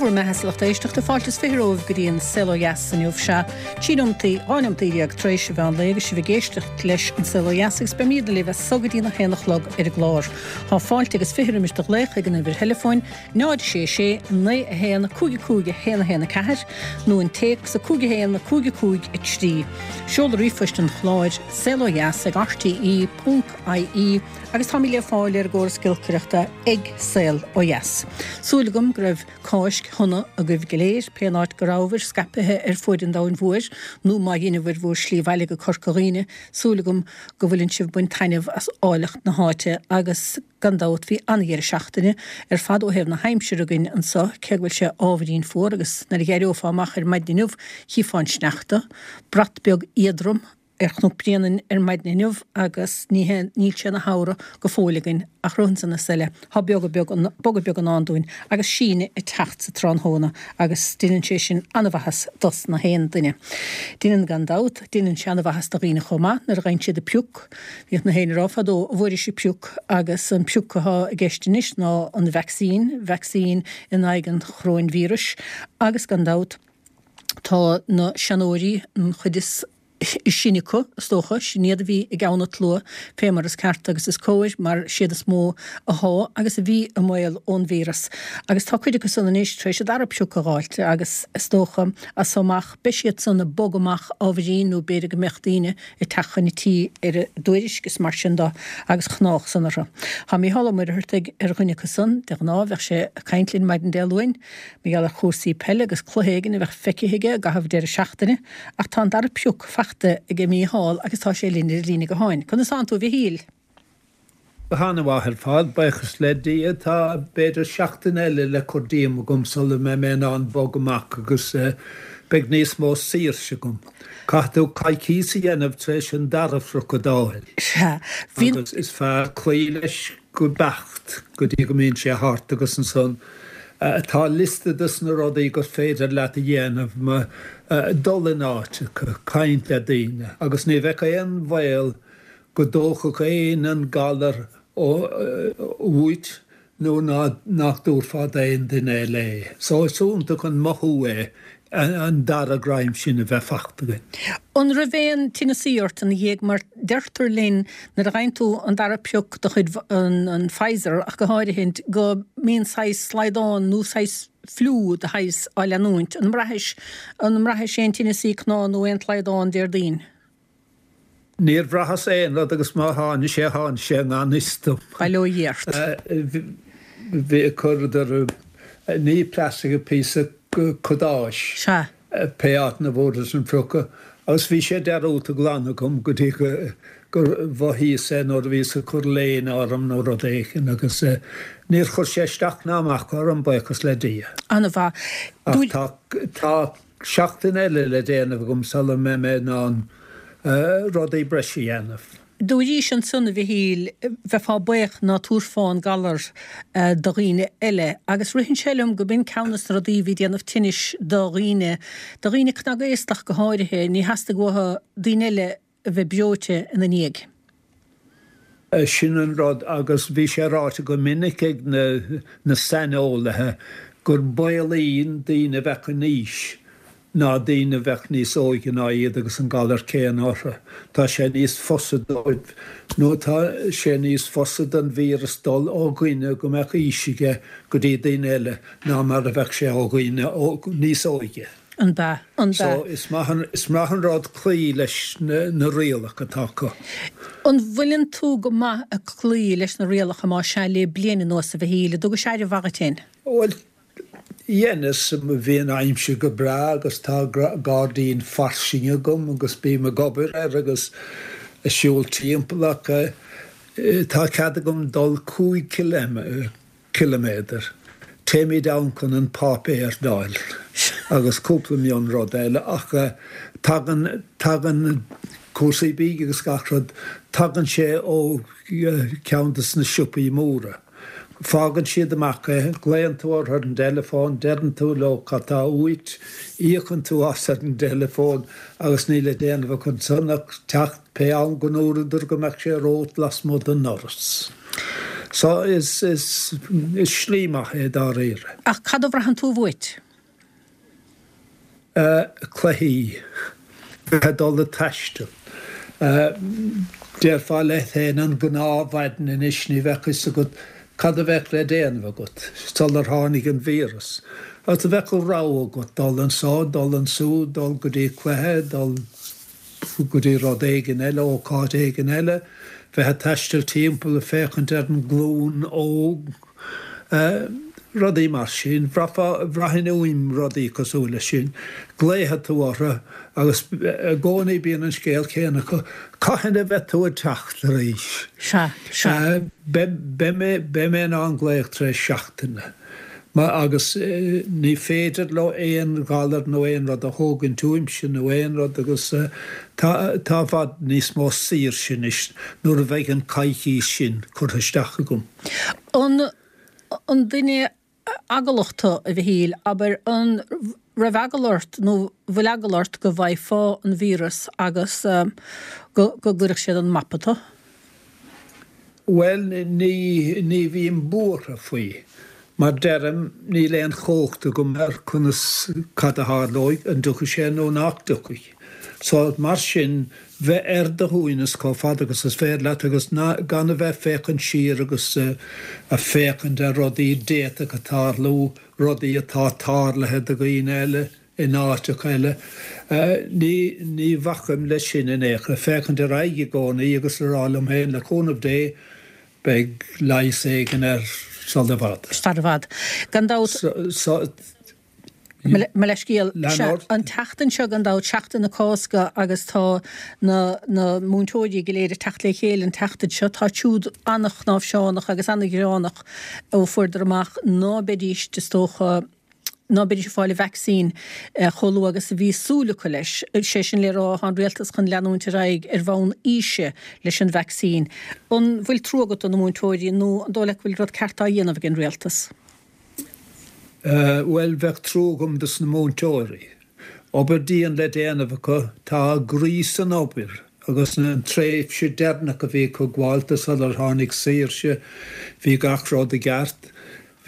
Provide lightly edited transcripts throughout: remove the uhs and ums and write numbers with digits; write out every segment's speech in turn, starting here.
bhur mbeatha a lucht éisteachta, fáilte is 20 romhaibh go dtí an Saol Ó Dheas inniu. Sea, 13 neomataí, 12 neomataí tar éis an mheán lae agus sibh ag éisteacht leis an Saol Ó Dheas agus beimídne libh as so go dtí na haon a chlog ar an gclár. Tá fáilte agus 20 roimis do ghlaoch ag an uimhir theileafóin 0 6 6 9 1 5 5 1 1 4 nó an téacs 5 1 5 5 3. Seoladh ríomhphoist an chláir, saolodheas ag rte ponc ie agus táimid le fáil ar an gcóras giolcaireachta ag Saol Ó Dheas. Súil agam go raibh Cáisc shona agaibh go léir, pé an áit go rabhabhair scaipthe ar fuaid an domhain mhóir, nó má dheineabhair bhur slí abhaile go Corca Dhuibhne, súil agam go bhfuileann sibh ag baint taitneamh as áilleacht na háite agus gan dabht bhí an-dheireadh seachtaine ar fad ó thaobh na haimsire againn anso, cé go bhfuil sé ábhairín fuar agus nuair a dh'éireofá amach ar maidin inniu chífeá an sneachta, brat beag éadrom. ar Chnoc Bréanainn ar maidin inniu agus ní hé, níl sé ina shamhradh go fóill againn ach roimh ansan is eile tá beoga beag, bogadh beag i ndán dúinn agus síneadh ag teacht sa tráthnóna agus deineann sé sin an-mhaitheas dos na haon duine. Deineann gan dabht, deineann sé an-mhaitheas do dhaoine chomh maith nuair a gheibheann siad a pioc. Bhíodh na héinne ag rá fadó an bhfuairis an pioc agus an pioc athá i gceist anois ná an vacsaín, vacsaín in aghaidh an choróinvíris agus gan dabht, Tá na seanóirí, an chuid is sine acu, is dócha, sin iad a bhí i gceann an tslua, fé mar is ceart agus is cóir, mar siad is mó athá agus a bhí i mbaol ón víreas. Agus tá cuid acu san anois tar éis a dara pioc a dh'fháilt agus is dócha, as so amach, beidh siad san ag bogadh amach ábhairín nó b'fhéidir go mbeadh daoine ag teacht chun a tí ar a dtuairisc is mar sin do agus chnách san orthu. Tá Mícheál Ó Muircheartaigh ar dhuine acu san, de ghnáth bheadh sé ag caint linn maidin Dé Luain, Mar gheall ar chúrsaí peile agus cluiche éigin a bheadh feicthe aige i gcaitheamh deireadh seachtaine, ach tá an dara pioc fachta aige Mícheál agus tá sé linn ar an líne gutháin. Conas tánn tú, a Mhichíl? Go han-mhaith ar fad, buíochas le Dia. Tá b'fhéidir seachtain eile le cur díom agam sula mbeidh mé in ann bog amach agus beidh níos mó saoirse agam. Caithfidh tú coicíos a dhéanamh tar éis an dara phrioc a d'fháil. Sea. Bhí. Agus is fearr cloí leis go beacht go dtí go mbíonn sé thart agus ansan tá liosta dos na rudaí gur féidir leat a dhéanamh, mar dul in áiteacha, caint le daoine agus ní bheadh aon bhaol go dtógfadh éinne an galar uait nó nach dtabharfá d'aon duine eile é. So is iontach an mothú é an dara greim sin a bheith fachta againn. An raibh aon tinneasaí ort ina dhiaidh mar deirtear linn nuair a gheibheann tú an dara pioc de chuid an Pfizer ach go háirithe go mbíonn saghas slaghdán nó saghas fliú de shaghas á leanúint. An mbraithis, an mbraithis aon tinneasaí cnámh nó aon tslaghdán Déardaoin? Níor bhraitheas aon rud agus má tháinig sé, tháinig sé i ngan fhios dom. Bail ó Dhia ort. Bhí, chuireadar, ní plastic, píosa cadáis, Sea. pé áit 'na bhfuaireas an priocadh agus bhí sé dearúdta glan agam go dtí gur mhothaíos é nuair a bhíos ag cur léine orm nó rud éigin agus níor chuir sé isteach ná amach orm, buíochas le Dia. An-mhaith. Ach tá, tá. Seachtain eile le déanamh agam sula mbeidh mé in ann rudaí breise a dhéanamh. Dúraís ansan, a Mhichíl, bheifeá baoch ná tabharfá an galar do dhaoine eile, agus ritheann sé liom go b'in ceann des na rudaí a bhí ag déanamh tinnis do dhaoine, do dhaoine cnagaostach go háirithe, ní theastaigh uathu daoine eile a bheith breoite ina ndiaidh. Sin an rud, agus bhí sé ráite go minic ag na saineolaithe gur baolaí daoine a bheadh in aois ná daoine a bheadh níos óige ná iad agus an galar céanna orthu. Tá sé níos fusa dóibh, nó tá sé níos fusa don víreas dul ó dhuine go mbeadh aois aige go dtí daoine eile ná mar a bheadh sé ó dhaoine níos óige. An b'ea? An b'ea? So, is maith an, is maith an rud cloí leis na rialacha atá acu. An bhfuileann tú go maith ag cloí leis na rialacha más ea le bliain anuas a Mhichíl, an dtugais aire mhaith dhuit féin? Bhuel, dheineas, bhí an aimsir go breá agus tá gairdín fairsing agam agus bím ag obair air agus ag siúl timpeall ach tá cead agam dul 5 ciliméadar, ciliméadar. Téimid ann chun an páipéar d'fháil agus cúpla mion rud eile ach tagann, tagann cúrsaí bídh agus gach rud, tagann sé ó cheann des na siopaí móra. Fágann siad amach é, glaonn tú orthu ar an dteileafón, deireann tú leo cad tá uait, íocann tú as ar an dteileafón agus níl le déanamh acu ansan ach teacht pé am go ndúradar go mbeadh sé romhat lasmuigh den ndoras. So is, is, is slí maith é dáiríre. Ach cad a bhraitheann tú uait? Cluichí. Bheith ag dul ag taisteal. Déarfá leat féin an gnáthmhaidin anois ní bheadh fhios agat cad a bheadh le déanamh agat sular tháinig an víreas. Agus bheadh an rogha agat dul anso, dul ansúd, dul go dtí cluiche, dul go dtí rud éigin eile, ócáid éigin eile, bheith ag taisteal timpeall ag féachaint ar an nglúin óg. Rudaí mar sin. Bhraithfeá, bhraithfinn uaim rudaí cosúil leis sin. Glaofaidh tú orthu agus i gcónaí bíonn an scéal céanna acu, cathain a bheidh tú ag teacht arís? Sea, sea. Beidh, beidh mé, beidh mé in ann glaoch tar éis seachtaine. Mar, agus ní féidir leo aon ghalar nó aon rud a thógaint uaimse nó aon rud agus tá, tá i bhfad níos mó saoirse anois nuair a bheidh an coicís sin curtha isteach agam. An an duine eaglach tú, a Mhichíl? Abair, an raibh eagla ort nó bhfuil eagla ort go bhfaighfeá an víreas agus go go gcuirfeadh siad an mapa tú? Bhuel, ní ní bhím buartha faoi. Mar deirim, níl aon chumhacht agam ar conas, cad a tharlóidh, an dtiocfaidh sé nó nach dtiocfaidh. So, mar sin, bheith ar do shuaimhneas chomh fada agus is féidir leat agus gan a bheith féachaint siar agus a féachaint ar rudaí d'fhéadfadh tarlú, rudaí atá tarlaithe do dhaoine eile in áiteacha eile. Ní, ní bhacaim leis sin in aon chor. Féachaint ar aghaidh i gcónaí agus a rá liom féin, le cúnamh Dé, beidh leigheas éigin air sul i bhfad. Sar i bhfad. Gan dabht. So, Mo leithscéal. Sea, an tseachtain seo gan dabht, Seachtain na Cásca agus tá na na múinteoirí go léir ag teacht le chéile an tseachtain seo. Tá siúd an-chnáimhseánach agus an-ghearánach ó fuaireadar amach ná beidís, is dócha, ná beidís ag fáil an vacsaín chomh luath agus a bhí súil acu leis. Sé sin le rá, tá an rialtas chun leanúint ar aghaidh ar bhonn aoise leis an vacsaín. An bhfuil trua agat do na múinteoirí nó an dóigh leat go bhfuil rud ceart á dhéanamh ag an rialtas? Bhuel, bheadh trua agam dos na múinteoirí. Obair dian le déanamh acu, tá a gcroí san obair agus an tréimhse deireanach a bhí acu gabhálta sular tháinig saoirse, bhí gach rud i gceart.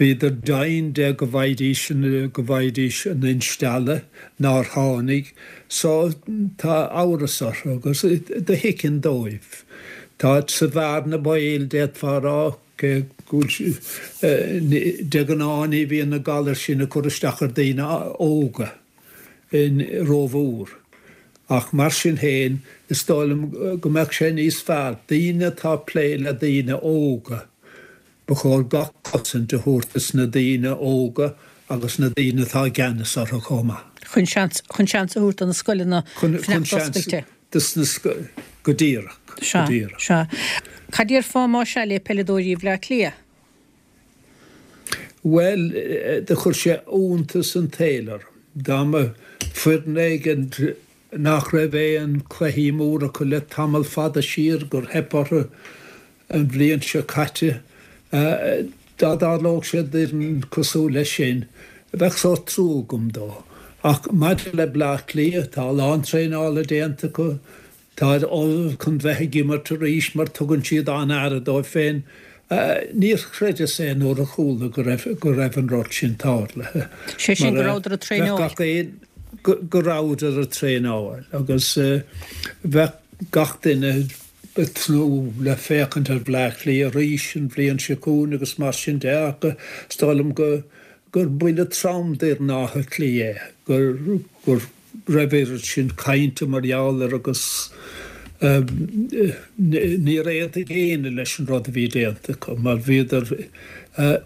Bhíodar deimhin de go bhfaighidís, go bhfaighidís an instealladh, nár tháinig. So, tá amhras orthu agus do thuigfinn dóibh. Tá sa bhearna baoil, d'fhéadfá a rá. Cé go bhfuil, de ghnáth ní bhíonn na galair sin ag cur isteach ar daoine óga rómhór, ach mar sin féin, is dóigh liom go mbeadh sé níos fearr, daoine atá ag plé le daoine óga, ba chóir gach cosaint a thabhairt dos na daoine óga agus na daoine atá i gceannas orthu chomh maith. Chun seans, chun seans a thabhairt do na scoileanna fanacht oscailte. dos na scoileanna, go díreach, go díreach. Sea, sea. Cad déarfá más ea le peileadóirí Bhleá Cliath? Bhuel, do chuir sé iontas an tsaoil orm. Dá mba foireann éigin nach raibh aon cluichí móra acu le tamall fada siar, gur theip orthu an bhliain seo caite, dá dtarlódh sé d'fhoireann cosúil leis sin, bheadh sórt trua agam dó. Ach maidir le Bleá Cliath, tá a lán traenála déanta acu, táid ullamh chun bheith ag imirt arís mar tugann siad an-aire dóibh féin. Níor chreideas é nuair a chuala go raibh go raibh an rud sin tarlaithe. Sé sin, go rabhadar ag traenáil. Bheadh gach aon, go rabhadar ag traenáil agus bheadh gach duine, ag tnúth le féachaint ar Bhleá Cliath arís an bhliain seo chugainn agus mar sin de ach is dóigh liom go gur buille trom d'fhoireann Átha Cliath é gur go raibh oiread sin cainte mar gheall air agus níor aontaigh éinne leis an rud a bhí déanta acu mar bhíodar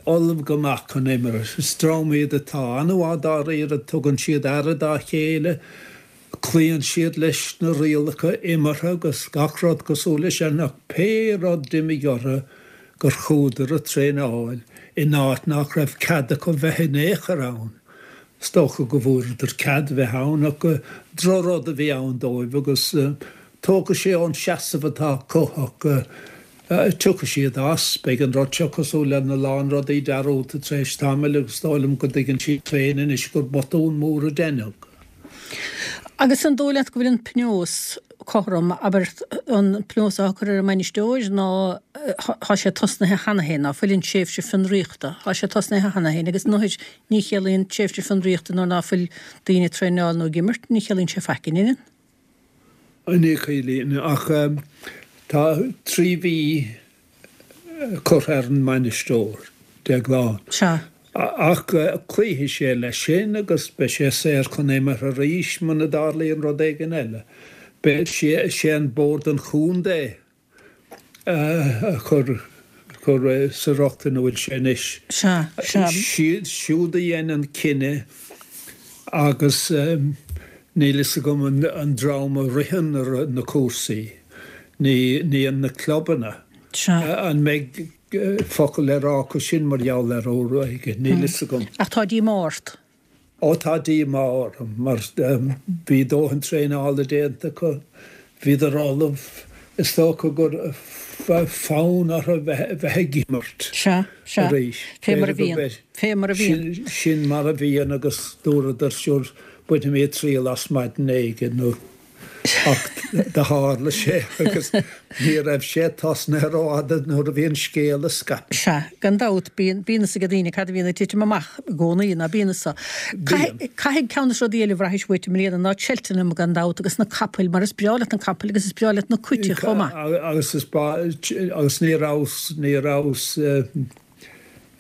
ullamh go maith chun imirt. Is dream iad atá an-mhaith dáiríre, tugann siad aire dá chéile. Cloíonn siad leis na rialacha imeartha agus gach rud cosúil leis sin ach pé rud d'imigh orthu gur chuadar ag traenáil in áit nach raibh cead acu bheith in aon chor ann. Is dócha go bhfuaireadar cead bheith ann ach drochrud a bhí ann dóibh agus tógfaidh sé ón seasamh atá acu ach tiocfaidh siad as. Beidh an rud seo cosúil lena lán rudaí dearúdta tar éis tamaill agus is dóigh liom go dtuigeann siad féin anois gur botún mór a deineadh. Agus an dóigh leat go bhfuil an pionós cothrom, abair, an pionós atá curtha ar an mbainisteoir ná tá sé tosnaithe cheana féin, ná fuil an tréimhse fionraíochta, tá sé tosnaithe cheana féin agus nuair ní chiallaíonn tréimhse fionraíochta nuair ná fuil daoine ag traenáil nó ag imirt, ní chiallaíonn sé faic, an ionann? Ní chiallaíonn, ach tá 3 mhí curtha ar an mbainisteoir, Déaglán. Sea. Ach cloífidh sé leis sin agus beidh sé saor chun imeartha arís muna dtarlaíonn rud éigin eile. Beidh sé, sé an Bord an Chontae a chuir, chuir sa riocht ina bhfuil sé anois. Sea, sea. Siad siúd a dhein an cinneadh agus níl fhios agam an dream a ritheann na cúrsaí, ní, ní na clubanna. Sea. An mbeidh focal le rá acu sin mar gheall air uair éigin? Níl fhios agam. Ach tá díomá ort? Ó tá díomá orm mar bhí dóthain traenála déanta acu, bhíodar ullamh, is dócha gur fonn orthu bheith ag imirt Sea, sea. arís. Fé mar a bhíonn. Fé mar a bhíonn. Sin mar a bhíonn agus dúradar sure bainfimid triail as maidin éigin nó Ach do tharla sé agus ní raibh sé tosnaithe rófhada nuair a bhí an scéal ag scaipeadh. Sea, gan dabht, bíonn, bíonn fhios ag daoine cad a bhíonn ag titim amach i gcónaí, ná bíonn fhios acu. Bíonn. Caithfidh, ceann de na rudaí eile a bhraithis uait i mbliana ná Cheltenham gan dabht agus na capaill, mar is breá leat na capaill agus is breá leat na cait chomh maith. Agus is breá, agus ní rabhas, ní rabhas,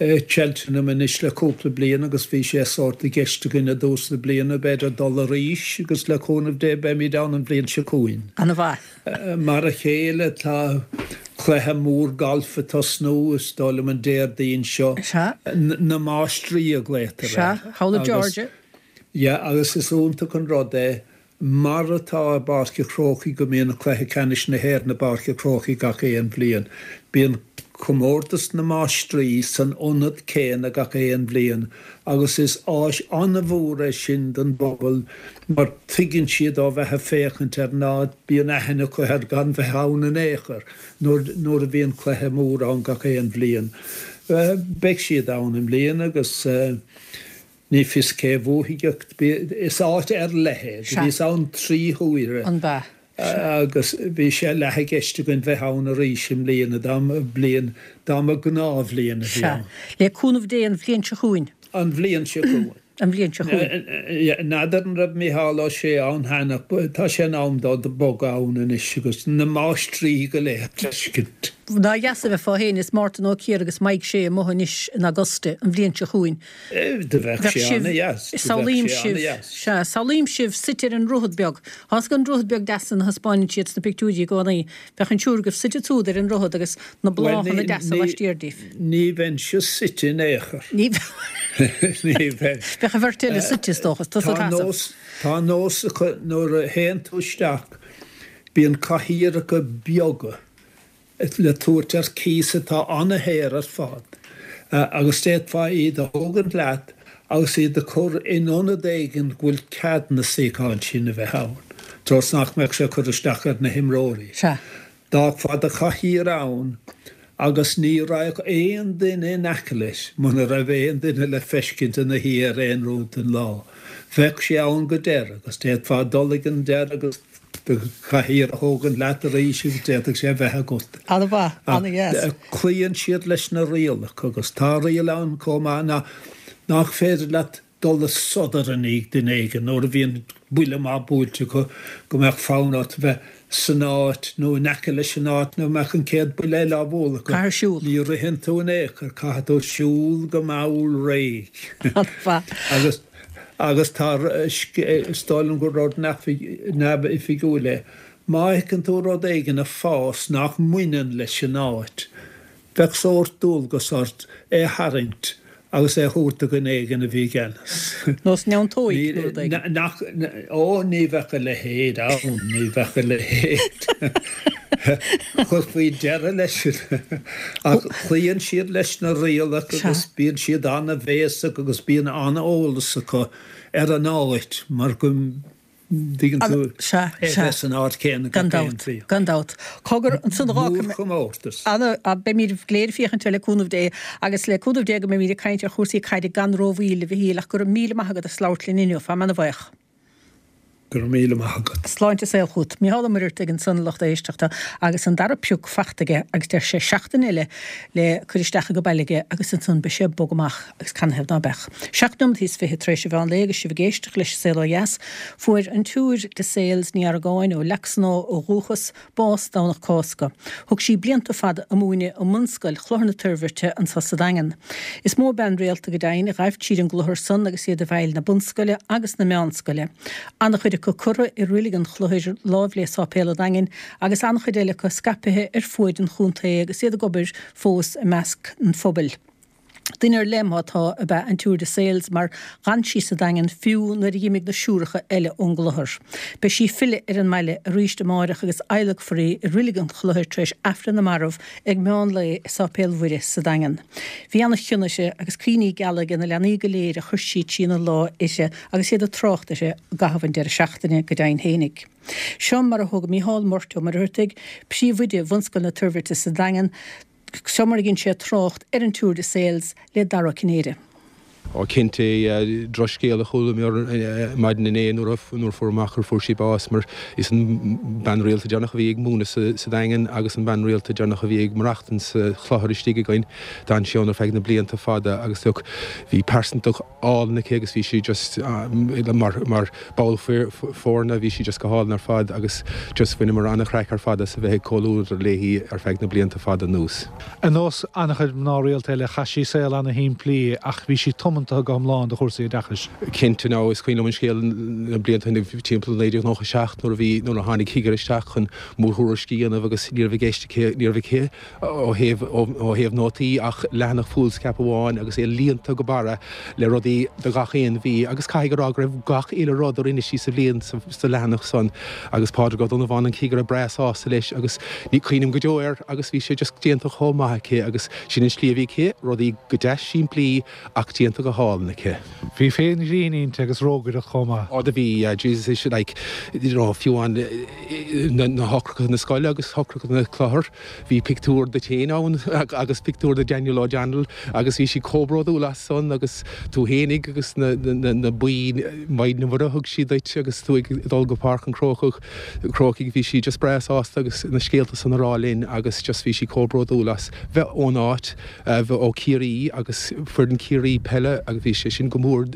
Cheltenham anois le cúpla bliain agus bhí sé sórt i gceist againn i dtús na bliana b'fhéidir dul arís agus le cúnamh Dé beimid ann an bhliain seo chugainn. Ana-mhaith. Mar a chéile tá cluiche mór gailf ag tosnú is dóigh liom an Déardaoin seo. Sea. Na Máistrí a ghlaotar air. Sea, thall i Georgia. Yeah agus is iontach an rud é Mar atá i bPáirc a' Chrócaigh go mbíonn Cluiche Ceannais na hÉireann i bPáirc a' Chrócaigh gach aon bhliain, bíonn Comórtas na Máistrí san ionad céanna gach aon bhliain agus is áis an-mhór é sin don bpobal mar tuigeann siad ó bheith ag féachaint ar an áit, bíonn aithne acu air gan bheith ann in aon chor nuair a bhíonn cluiche mór ann gach aon bhliain. Beidh siad ann i mbliana agus. Ní fios cé a bhuafaidh ach is áit ar leith é. Do bhíos ann 3 huaire An b'ea? agus bhí sé leath i gceist againn bheith ann arís i mbliana dá mba bliain, dá mba gnáthbhliain a bhí Sea. ann. Le cúnamh Dé an bhliain seo chugainn. An bhliain seo chugainn. An bhliain seo chugainn. N'fheadar an raibh Micheál Ó Sé ann cheana ach tá sé in am dó bogadh ann anois agus na máistrí go léir a fheiscint. Nár dheas a bheifeá féin is Mártan Ó Ciardha agus Mike Shea amuigh anois in Augusta an bhliain seo chugainn. Do bheadh sé ana-dheas. Do bheadh Samhlaím sé sibh, ana-dheas. sea, samhlaím sibh suite ar an ndroichead beag. Tá 'fhios agat an droichead beag deas san a thaispeáineann siad sna pictiúirí i gcónaí. Bheadh an triúr agaibh suite ansúd ar an ndroichead agus na Bhuel, bláthanna ní, deasa ní, laistiar díbh. ní bheinnse suite in aon chor. Ní Ní bheinn. Bheadh an bheirt eile suite, is dócha, tusa Tá ag seasamh. nós, tá nós acu nuair a théann tú isteach, bíonn cathaoireacha beaga le tabhairt ar cíos atá ana-shaor ar fad agus d'fhéadfá iad a thógaint leat agus iad a chur in ionad éigin go bhfuil cead na suíocháin sin a bheith ann, treo is nach mbeadh sé ag cur isteach ar na himreoirí. Sea. D'fhágfá do chathaoir ann agus ní raghadh aon duine in aice leis muna raibh aon duine le feiscint ina shuí air aon rud den lá. Bheadh sé ann go deireadh agus d'fhéadfá dul ag an deireadh agus do chathaoir a thógaint leat arís agus d'fhéadfadh sé a bheith agat. An-mhaith, an-dheas. Cloíonn siad leis na rialacha agus tá riail ann chomh maith ná nach féidir leat dul ag sodar i ndiaidh duine éigin nuair a bhíonn buille maith buailte acu go mbeadh fonn ort bheith san áit nó in aice leis an áit nuair a mbeadh an chéad buille eile á bhualadh acu. Caithfidh siúl. Ní ritheann tú in aon chor, caithfidh tú siúl go mall réidh. An-mhaith. Agus. Agus tá, is dóigh liom gur rud neamhoifigiúil é, má fheiceann tú rud éigin ag fás nach mbaineann leis an áit, bheadh sórt dualgas ort é a tharraingt agus é a thabhairt do dhuine éigin a bhí i gceannas. Nós neantóig nó rud éigin. Nach, ó ní bheadh a leithéid ann, ní bheadh a leithéid. Chuirfí deireadh leis sin. Ach cloíonn siad leis na rialacha agus bíonn siad an-bhéasach agus bíonn an-eolas acu ar an áit mar go dtuigeann tú é bheith san áit chéanna gach aon bhliain. Gan dabht. Cogar, ansan Mórchomórtas. Beimid go léir ag féachaint air le cúnamh Dé agus le cúnamh Dé go mbeimid ag caint ar chúrsaí caide gan rómhoill, a Mhichíl, ach go raibh míle maith agat as labhairt linn inniu. Táim ana-bhuíoch. Go raibh míle maith agat. Sláinte is saol chugat. Mícheál Ó Muircheartaigh ansan a lucht éisteachta agus an dara pioc fachta aige agus deir sé seachtain eile le cur isteach age baile aige agus ansan beidh sé ag bogadh amach agus canathaobh ná beadh. Seacht neomat is fiche tar éis an mheán lae agus sibh ag éisteacht leis An Saol Ó Dheas. Fuair an tSiúr de Sales, Ní Argáin, ó Leac Snámha ó dhúchas, bás Domhnach Cásca. Thug sí blianta fada ag múineadh i mbunscoil Chlochar na Toirbhirte anso sa Daingean. Is mó bean rialta go deimhin a ghaibh tríd an gclochar san agus iad i bhfeighil na bunscoile agus na meánscoile. An-chuid acu curtha i roilig an Chlochair láimh le Sáipéal an Daingin agus an-chuid eile acu scaipthe ar fuaid an chontae agus iad ag obair fós i measc an phobail. Duine ar leith má tá ab ea an tSiúr de Sales mar dh'fhan sí sa Daingean fiú nuair a dh'imigh na siúracha eile ón gclochar. Beidh sí ag filleadh ar an mbaile arís amáireach agus adhlacfar í i Roilig an Chlochair tar éis Aifreann na Marbh ag meán lae i Sáipéal Mhuire sa Daingean. Bhí ana chion uirthi agus cuimhní geala age na leanaí go léir a chuir sí trína lá uirthi agus iad ag trácht uirthi i gcaitheamh an deireadh seachtaine go deimhin fhéinig. Seo mar a thug Mícheál Murt Ó Muircheartaigh, Príomhoide Bhunscoil na Toirbhirte sa Daingean, Seo mar a dhein sé trácht ar an tSiúr de Sales le Dara Ó Cinnéide. Ó cinnte, drochscéal a chuala mé maidin inné nuair a fuair amach gur fuair sí bás mar is an bean rialta deireanach a bhí ag múineadh sa Daingean agus an bean rialta deireanach a bhí ag maireachtaint sa chlochar istigh againn. D'fhan sí ann ar feadh na blianta fada agus look bhí pearsantacht álainn aici agus bhí sí just mar mar ball foirne bhí sí just go hálainn ar fad agus just bhaineamar an-chraic ar fad as a bheith ag comhluadar léi ar feadh na blianta fada anuas. Ar nós an-chuid mná rialta eile, chaith sí saol an-shimplí ach bhí sí tiomanta go hiomlán do chúrsaí oideachais. Cinnte, now is cuimhin liom an scéal na blianta timpeall 1997 nuair a bhí, nuair a tháinig cigire isteach chun mórthuairisc a dhéanamh agus ní raibh i gceist aici, ní raibh aici ó thaobh, ó thaobh nótaí ach leathanach foolscap amháin agus é líonta go barra le rudaí do gach aon mhí agus caithfidh a rá go raibh gach uile rud a rinne sí sa bhliain sa leathanach san agus Pádraig Ó Donnabháin an cigire breá sásta leis agus ní cuimhním go deo air agus bhí sé just déanta chomh maith aici agus sin an slí a bhí aici, rudaí go deas simplí ach déanta go hálainn aici. Bhí féin ghrinn inti agus rógaireacht chomh maith. Ó do bhí, yeah, Jesus is like, you know, fiú amháin na heochracha na scoile agus eochracha na clochar, Bhí pictiúr duit féin ann agus pictiúr de Daniel O'Donnell agus bhí sí chomh bródúil as san agus tú fhéinig agus na boinn Maighdean Mhuire a thug sí duit agus tú ag dul go Páirc an Chrócaigh, Chrócaigh bhí sí just breá sásta agus na scéalta san a rá linn agus just bhí sí chomh bródúil as bheith ón áit, bheith ó Chiarraí agus foireann Chiarraí peile agus bhí sé sin go mór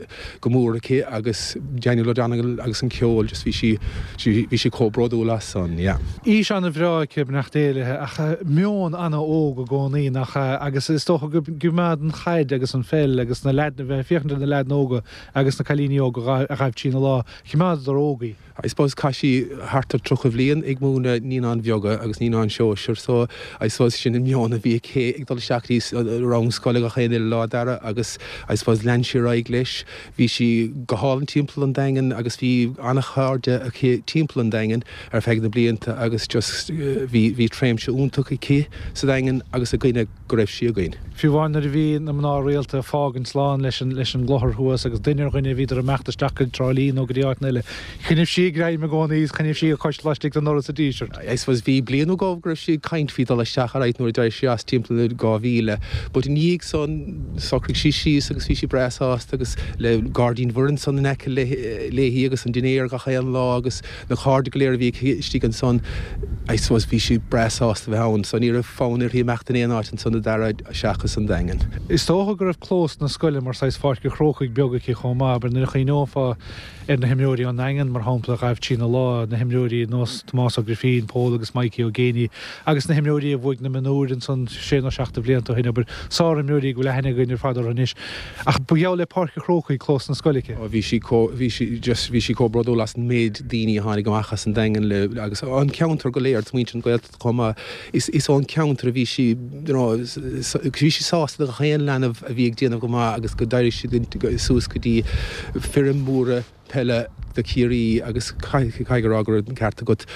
go mór aici agus Daniel O'Donnell agus an ceol just bhí sí bhí sí chomh bródúil as san, yeah. Aois an-bhreá aici, beannacht Dé léi, ach meon an-óg i gcónaí, nach ea? Agus is dócha go gcoimeád an chaid agus an pheil agus na leaideanna, bheith ag féachaint ar na leaideanna óga agus na cailíní óga a ghaibh trína lá, choimeádadar óg í. I suppose chaith sí thart ar 30 bhliain ag múineadh naíonáin bheaga agus naíonáin sóisir so I suppose sin an meon a bhí aici ag dul isteach go dtí rang scoile gach aon uile lá Dara agus I suppose lean sí ar aghaidh leis. Bhí sí go hálainn timpeall an Daingin agus bhí an-chairde aici timpeall an Daingin ar feadh na blianta agus just bhí bhí tréimse iontach aici sa Daingean agus againne go raibh sí againn. Fiú amháin nuair a bhí na mná rialta ag fágaint slán leis an leis an gclochar thuas agus duine ar dhuine bhíodar ag imeacht isteach go Trá Lí nó go dtí áiteanna eile, choinnibh sí a greim i gcónaí is choinnibh sí a cois laistigh den ndoras sa Díseart. I suppose bhí bliain nó dhó go raibh sí ag caint faoi dul isteach alright nuair a d'éirigh sí as timpeall na 2000 but i ndiaidh san socraigh sí síos agus bhí sí breá sásta agus le Gairdín Mhuire ansan in aice léi agus an dinnéar gach aon lá agus Na cairde go léir a bhí aici istigh ansan, I suppose bhí sí breá sásta bheith ann, so ní raibh fonn uirthi imeacht in aon áit ansan a Dhara seachas an Daingean. Is dócha go raibh clós na scoile mar saghas Pháirc an Chrócaigh beag aici chomh maith, abair nuair a chuimhneofá ar na himreoirí ón nDaingean, mar shampla, a ghaibh trína lá, na himreoirí ar nós Tomás Ó Grifín, Pól agus Mikey Ó Géibheannaigh agus na himreoirí a bhuaigh na mionúir ansan sé nó seacht de bhlianta ó shin, abair, sárimreoirí go bhfuil aithne againn ar fad orthu anois. Ach ba gheall le Páirc an Chrócaigh clós na scoile aici. Ó bhí sí chomh, bhí sí just, bhí sí chomh bródúil as an méid daoine a tháinig amach as an Daingean le, agus an ceantar go léir, muintir na Gaeltachta chomh maith. Is, is ón ceantar a bhí sí, you know, bhí sí sásta do gach aon leanbh a bhí ag déanamh go maith agus go d'éirigh siad suas go dtí foireann mhóra peile do Chiarraí agus caithfidh a rá go raibh an ceart agat,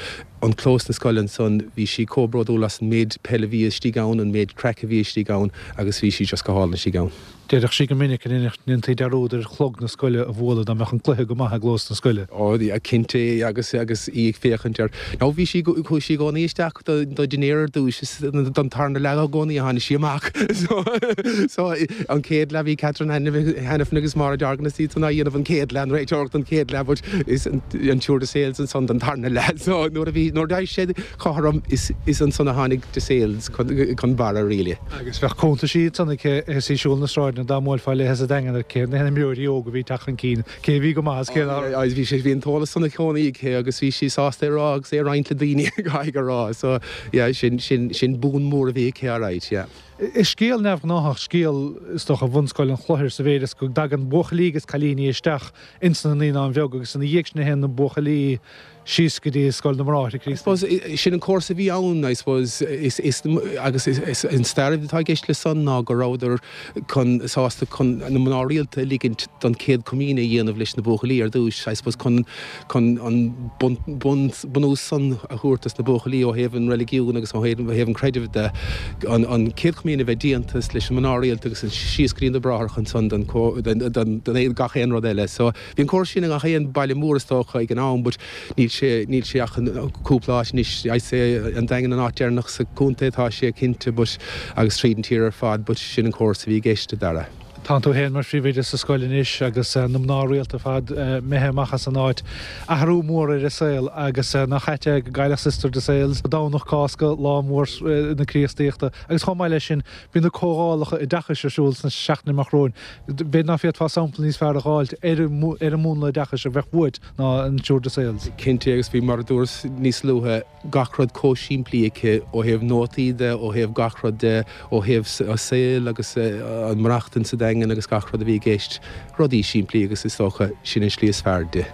an clós na scoile ansan, bhí sí chomh bródúil as an méid peile a bhí istigh ann, an méid craic a bhí istigh ann agus bhí sí just go hálainn istigh ann. Deireadh sí go minic go ndéantaí dearúd ar chlog na scoile a bhualadh dá mbeadh an cluiche go maith i gclós na scoile. Ó, cinnte, agus agus í ag féachaint ar. Nó bhí sí, chuaigh sí i gcónaí isteach do do dinnéar ar dtúis is don tarna leath i gcónaí a tháinig sí amach. So, so an chéad leath bhí Catherine Hanafin agus Máire Dorgan is iad san á dhéanamh an chéad leath an réiteoireacht. don chéad leath but is an tSiúr de Sales ansan don tarna leath. So nuair a bhí, nuair d'éirigh sé cothrom is is ansan a tháinig de Sales chun chun barra really. Agus bheadh cuntaisí ansan aici is í ag siúl na sráideanna dá mbuailfeá léithe sa Daingean ar cé na himreoirí óga a bhí ag teacht chun cinn, cé a bhí go maith is cé nach raibh. Agus bhí sé, bhí an t-eolas san i gcónaí aici agus bhí sí sásta é a rá agus é a roinnt le daoine caithfidh a rá. So yeah sin sin sin boon mór a bhí aici alright yeah. Is scéal neamhghnáthach scéal, is dócha, Bhunscoil an Chlochair sa mhéid is go dtagann buachaillí agus cailíní isteach ins na Naíonáin Bheag agus ina dhiaidh sin a théann na buachaillí síos go dtí Scoil na mBráithre I suppose sin an córas a bhí ann, I suppose, is, is, agus is, is an stair atá i gceist le san ná go rabhadar chun, sásta chun na mná rialta a ligint don chéad comaoine a dhéanamh leis na buachaillí ar dtúis, I suppose chun, chun an bun, bun, bunús san a thabhairt dos na buachaillí ó thaobh an reiligiún agus ó thaobh, ó thaobh an chreidimh de, an, an chéad chomaoine a bheith déanta leis na mná rialta agus síos go dtí na bráithreacha ansan don, don, don, gach aon rud eile. So. Bhí an córas sin i ngach aon baile mór is dócha ag an am but níl sé, níl sé ach in cúpla áit anois. I'd say an Daingean an áit deireanach sa chontae atá sé cinnte but agus tríd an tír ar fad but sin an córas a bhí i gceist, a Dara. Tánn tú féin mar phríomhoide sa scoil anois agus na mná rialta ar fad imithe amach as an áit. Athrú mór ar an saol agus nach ait é go gcaillfeadh Sister de Sales Domhnach Cásca, lá mór na Críostaíochta agus chomh maith leis sin bíonn na comhdhálacha oideachais ar siúl sna seachtainí amach romhainn. B'fhéidir ná féadfá sampla níos fearr a dh'fháilt ar an múnla oideachais a bheadh uait ná an tSiúr de Sales. Cinnte, agus bhí, mar a dúras níos luaithe, gach rud chomh simplí aici ó thaobh nótaí de, ó thaobh gach rud de, ó thaobh a saol agus an maireachtaint sa Daingean agus gach rud a bhí i gceist. Rudaí simplí agus is dócha sin an slí is fearr di.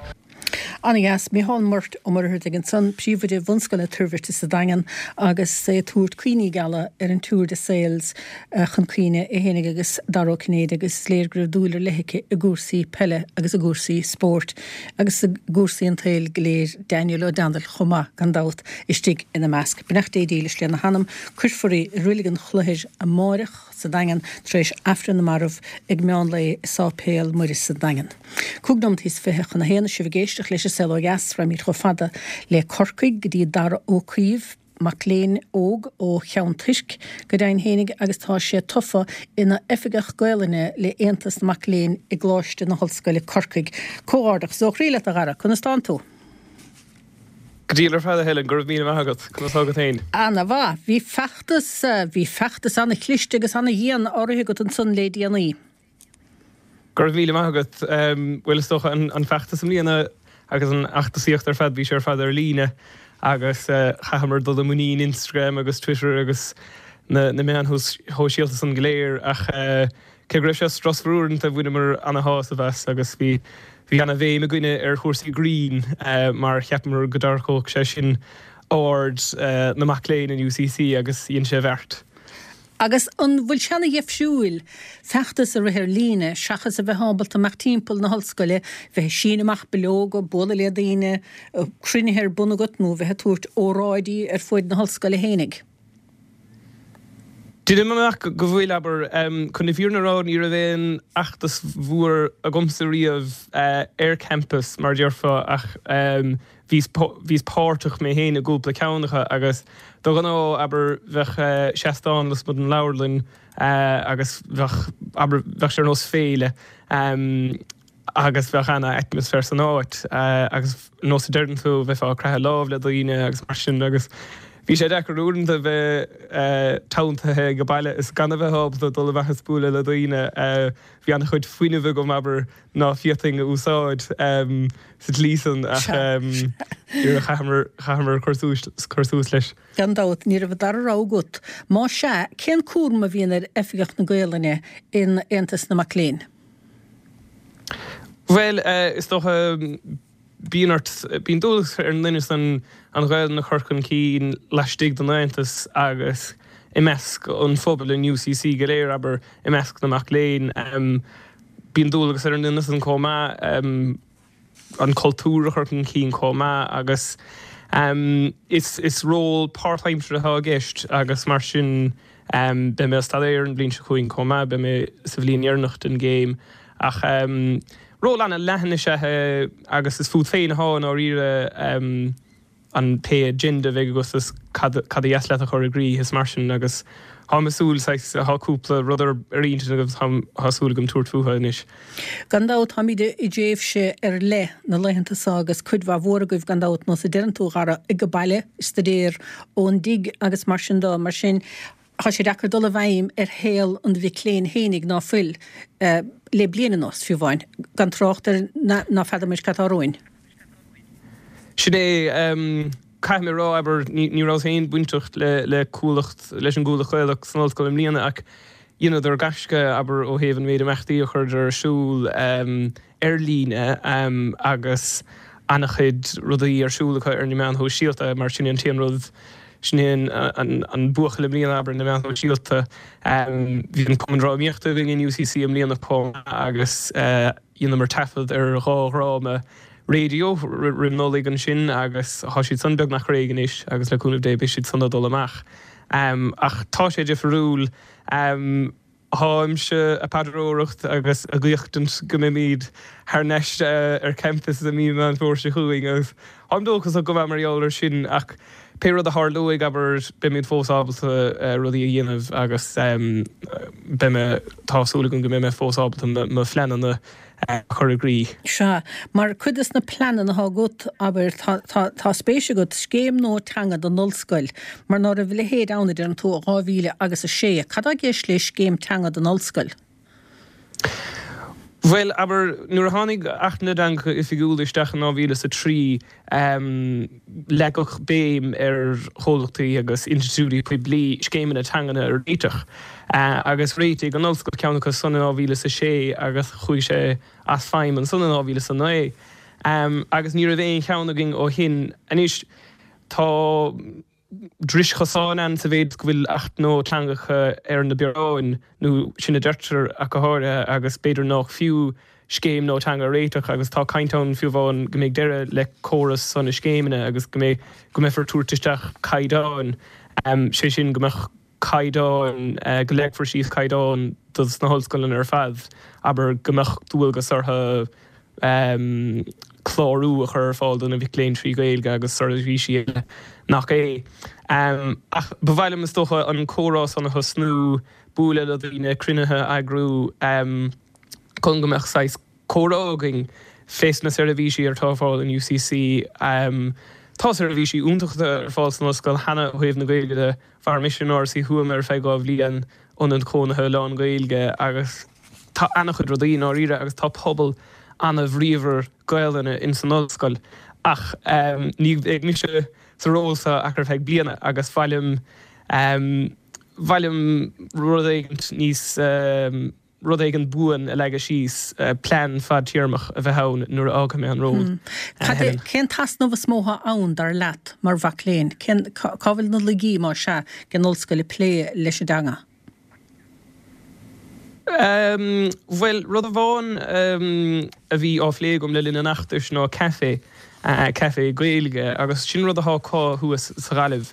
Ana-dheas. Mícheál Murt Ó Muircheartaigh ansan, Príomhoide Bhunscoil na Toirbhirte sa Daingean agus é ag tabhairt cuimhní geala ar an tSiúr de Sales chun cuimhne, é fhéinig agus Dara Ó Cinnéide agus is léir go raibh dúil ar leith aici i gcúrsaí peile agus i gcúrsaí spóirt agus i gcúrsaí an tsaoil go léir, Daniel O'Donnell chomh maith gan dabht istigh ina measc. Beannacht Dé dílis lena hanam, cuirfear í i Reilig an Chloichir amáireach sa Daingean tar éis Aifreann na Marbh ag meán lae i Sáipéal Muire sa Daingean. 25 nóimeataí chun a haon, sibh ag éisteacht leis An Saol Ó Dheas, raghaimid chomh fada le Corcaigh go dtí Dara Ó Caoimh, mac léinn óg ó Cheann Toirc go deimhin fhéinig agus tá sé tofa ina Oifigeach Gaolainne le Aontas na Mac Léinn i gColáiste na hOllscoile Corcaigh. Comhghairdeachas ó chroí leat a Dhara, conas tánn tú? Go diail ar fad a Helen, go raibh míle maith agat. Conas tá agat féin? Ana mhaith. Bhí feachtas, bhí feachtas ana chliste agus ana dhian á rith agat ansan le déanaí. Go raibh míle maith agat. Bhuel is dócha an feachtas i mbliana agus an fheachtasaíocht ar fad, bhí sé ar fad ar líne agus chaitheamar dul i muinín Instagram agus Twitter agus na meáin shóisialta san go léir ach cé go raibh sé strusmhar uaireanta bhaineamar ana-shásamh as agus bhí bhí ana-bhéim againne ar chúrsaí grinn mar cheapamar go dtarraiceodh sé sin aird na mac léinn in UCC agus dhein sé a bheart. Agus an bhfuil sé ana-dhifriúil feachtas a rith ar líne seachas a bheith ábalta imeacht timpeall na hollscoile, bheith ag síneadh amach bileoga, bualadh le daoine, cruinnithe ar bun agat nó bheith ag tabhairt óráidí ar fuaid na hollscoile fhéinig? Deinim amach go bhfuil, abair. Chun na fírinne a rá, ní raibh aon fheachtas mhór agamsa riamh ar campus, mar a déarfá, ach bhíos, bhíos páirteach mé féin i gcúpla ceann acu agus de ghnáth, abair, bheadh seastán lasmuigh den leabharlann agus bheadh, abair, bheadh sé ar nós féile. Agus bheadh ana-atmaisféar san áit agus nós a deireann tú, bheifeá ag croitheadh lámh le daoine agus mar sin agus bhí sé deacair uaireanta bheith teanntaithe ag baile is gan a bheith ábalta dul amach is bualadh le daoine. Bhí ana-chuid fuinnimh agam, abair, ná féadfainn a úsáid sa tslí san ach chaitheamar, chaitheamar cur suas, cur suas leis. Gan dabht, ní raibh an dara rogha agat. Más ea, cén cúram a bhíonn ar Oifigeach na Gaolainne in Aontas na Mac Léinn? Bhuel, is dócha, bíonn ort, bíonn dualgas ar an nduine san an Ghaelainn a chur chun cinn laistigh den Aontas agus i measc an phobail in UCC go léir, abair, i measc na mac léinn. Bíonn dualgas ar an nduine san chomh maith. an cultúr a chur chun cinn chomh maith agus is ról páirtaimseartha atá i gceist agus mar sin beidh mé ag staidéar an bhliain seo chugainn chomh maith, beidh mé sa bhliain dheireanach den gcéim ach ról an-leathan is ea é agus is fút féin atá i ndáiríre. an pé agenda a bheidh agat is cad ba dheas leat a chur i gcrích is mar sin agus táim ag súil saghas, tá cúpla rud ar ar intinn agam táim, tá súil agam tabhairt fúthu anois. Gan dabht táimid i dtréimhse ar leith na laethanta seo agus cuid mhaith mhór agaibh gan dabht nós a deireann tú a Dhara ag baile, ag staidéar ón dtigh agus mar sin de, mar sin tá sé deacair dul i bhfeidhm ar shaol an mhic léinn fhéinig ná fuil le bliain anuas, fiú amháin, gan trácht ar ná feadar muid cad tá romhainn. Sin é. Caithfidh mé a rá, abair, ní rabhas féin bainteach le Cuallacht, leis an gCuallacht Ghaelach san ollscoil i mbliana ach dheineadar gaisce, abair, ó thaobh an méid imeachtaí a chuireadar ar siúl ar líne agus an-chuid rudaí ar siúl acu ar na meáin shóisialta mar sin é an t-aon rud, sin é an buachaill i mbliana, abair, na meáin shóisialta. Bhí an Cumann Drámaíochta againn in UCC i mbliana chomh maith agus. Dheineamar taifead ar dha dhráma raidió roim Nollaig ansin agus tá siad san beagnach réidh anois agus le cúnamh Dé beidh siad san ag dul amach. Ach tá sé difriúil. Táimse a paidreoireacht agus a guíochtaint go mbeimid thar n-ais ar campus i mí Meán Fómhair seo chugainn agus táim dóchasach go maith mar gheall air sin ach pé rud a tharlóidh, abair, beimid fós ábalta rudaí a dhéanamh agus beidh mé, tá súil agam go mbeidh mé fós ábalta mo phleananna a chur i gcrích. Sea, mar cuid de na pleananna atá agat, abair, tá, tá, tá spéis agat scéim nua teanga don ollscoil, mar ná raibh a leithéid ann, a deireann tú, ó 2000 agus 6. Cad tá i gceist le scéim teanga don ollscoil? Bhuel, abair, nuair a tháinig Acht na dTeangacha Oifigiúla isteach in 2003, leagadh béim ar chomhlachtaí agus institiúidí poiblí scéimeanna teangan a réiteach. Agus réitigh an Ollscoil ceann acu san in 2006 agus chuaigh sé as feidhm ansan in 2009. Agus ní raibh aon cheann againn ó shin. Anois, tá. dris chosáin ann sa mhéid is go bhfuil Acht nua teangacha ar na bioráin, nó sin a deirtear ach go háirithe, agus b'fhéidir nách fiú scéim nua teanga a réiteach agus tá caint ann fiú amháin go mbeidh deireadh le córas san na scéimeanna agus go mbeidh, go mbeifear ag tabhairt isteach caighdeáin, sé sin go mbeadh caighdeáin, go leagfar síos caighdeáin dos na hollscoileanna ar fad, abair go mbeadh dualgas orthu clárú a chur ar fáil do na mic léinn trí Ghaeilge agus seirbhísí eile nach é. Ach ba mhaith liom is dócha an comhrá san a thosnú, bualadh le daoine, cruinnithe a eagrú chun go mbeadh saghas comhrá againn fés na seirbhísí atá ar fáil in UCC. Tá seirbhísí iontacha ar fáil san ollscoil cheana ó thaobh na Gaeilge de. Mhair mise in Áras Uí Thuama ar feadh 2 bhliain, ionad cónaithe lán-Ghaeilge agus tá ana-chuid rudaí i ndáiríre agus tá pobal ana-bhríomhar Gaelainne ins an ollscoil ach ní bheidh mise sa ról seo ach ar feadh bliana agus ba mhaith liom ba mhaith liom rud éigint níos rud éigin buan a leagadh síos, plean fadtéarmach a bheith ann nuair a fhágfaidh mé an ról. Cad é, cén t-easnamh is mó atá ann, dar leat, mar mhac léinn? Cén, cá bhfuil na laigí, más ea, ag an ollscoil ag plé leis an dteanga? Bhuel, rud amháin a bhí á phlé agam le linn an fheachtais ná caife, caife Gaeilge, agus sin rud atá acu thuas sa Ghaillimh,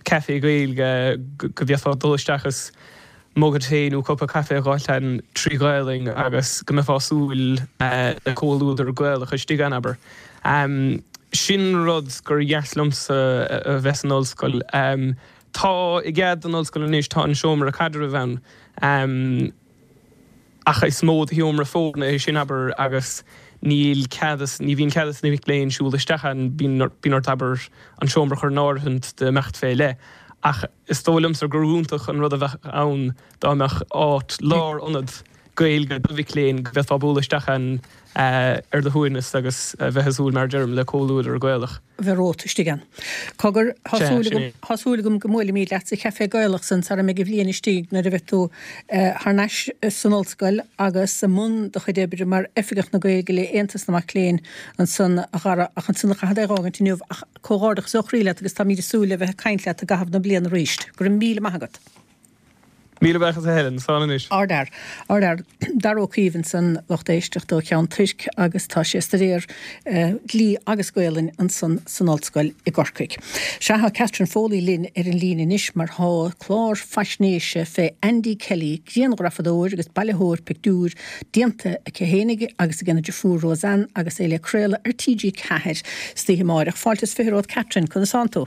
caife Gaeilge go bhféadfá dul isteach is muga tae nó cupa caife a dh'fháilt ann trí Ghaelainn agus go mbeifeá ag súil le comhluadar Gaelach istigh ann, abair. Sin rud gur dheas liomsa a bheith san ollscoil. Tá i gcead don ollscoil anois, tá an seomra caidrimh ann ach is mó de sheomra foirne é sin, abair, agus níl cead, ní bhíonn cead ag na mic léinn siúl isteach ann, bíonn ort, abair, an seomra a chur in áirithint d'imeacht fé leith. Ach is dóigh liomsa gur iontach an rud a bheadh ann dá mbeadh áit, lárionad Gaeilge do mhic léinn go bhféadfá bualadh isteach ann ar do shuaimhneas agus a bheith ag súil, mar a deirim, le comhluadar Gaelach. bheith romhat istigh ann. Cogar, tá súil agam, tá súil agam go mbuailfimid leat sa Chaifé Gaelach san sara mbeidh an bhliain istigh nuair a bheidh tú thar n-ais san ollscoil agus i mbun do chuid oibre mar Oifigeach na Gaeilge le Aontas na Mac Léinn ansan a Dhara ach ansan caithfead é a dh'fhágaint inniu ach comhghairdeachas ó chroí leat agus táimid ag súil le bheith ag caint leat i gcaitheamh na bliana arís. Go raibh míle maith agat. Míle buíochas a Helen, slán anois. Ardfhear. Ardfhear. Dara Ó Caoimh ansan, lucht éisteachta ó Cheann Toirc agus tá sé ag staidéar Dlí agus Gaolainn ansan san Ollscoil i gCorcaigh. Sea, tá Catherine Foley linn ar an líne anois mar tá clár faisnéise fé Andy Kelly, grianghrafadóir agus bailitheoir pictiúr, déanta aici fhéinig agus ag a deirfiúr Roseanne agus é le craoladh ar TG4 istoíche amáireach. Fáilte is 20 romhat Catherine, conas tánn tú?